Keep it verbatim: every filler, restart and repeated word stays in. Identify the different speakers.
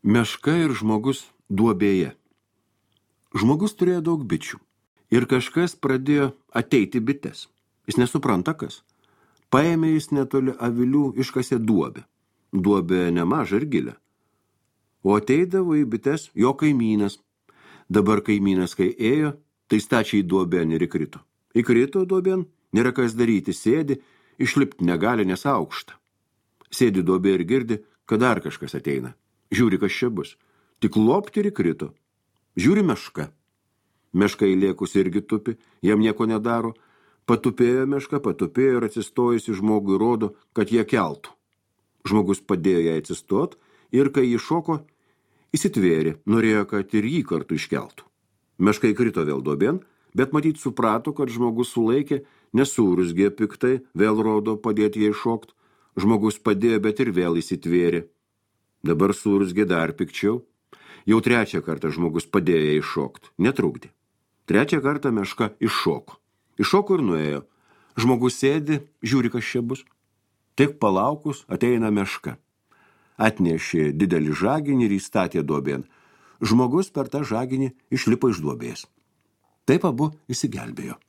Speaker 1: Meška ir žmogus duobėje. Žmogus turėjo daug bičių ir kažkas pradėjo ateiti bites. Jis nesupranta kas. Paėmė jis netoli avilių, iškasė duobę. Duobė nemaža ir gilė. O ateidavo į bites jo kaimynas. Dabar kaimynas, kai ėjo, tai stačiai duobėn ir įkrito. Įkrito duobėn, nėra kas daryti, sėdi, išlipti negali, nes aukšta. Sėdi duobė ir girdi, kad dar kažkas ateina. Žiūri, kas čia bus. Tik lopti ir įkrito. Žiūri meška. Meška įlėkus irgi tupi, jam nieko nedaro. Patupėjo meška, patupėjo ir atsistojusi žmogui rodo, kad jie keltų. Žmogus padėjo jai atsistot ir kai jį šoko, įsitvėrė, norėjo, kad ir jį kartu iškeltų. Meška įkrito vėl duobėn, bet matyt suprato, kad žmogus sulaikė, nesurusgė piktai, vėl rodo padėti jai šokt. Žmogus padėjo, bet ir vėl įsitvėrė. Dabar surusgė dar pikčiau. Jau trečią kartą žmogus padėjo jai šokt, netrukdė. Trečią kartą meška iššoko. Iššoko ir nuėjo. Žmogus sėdi, žiūri, kas čia bus. Tik palaukus ateina meška. Atnešė didelį žaginį ir įstatė duobėn. Žmogus per tą žaginį išlipo iš duobės. Taip abu išsigelbėjo.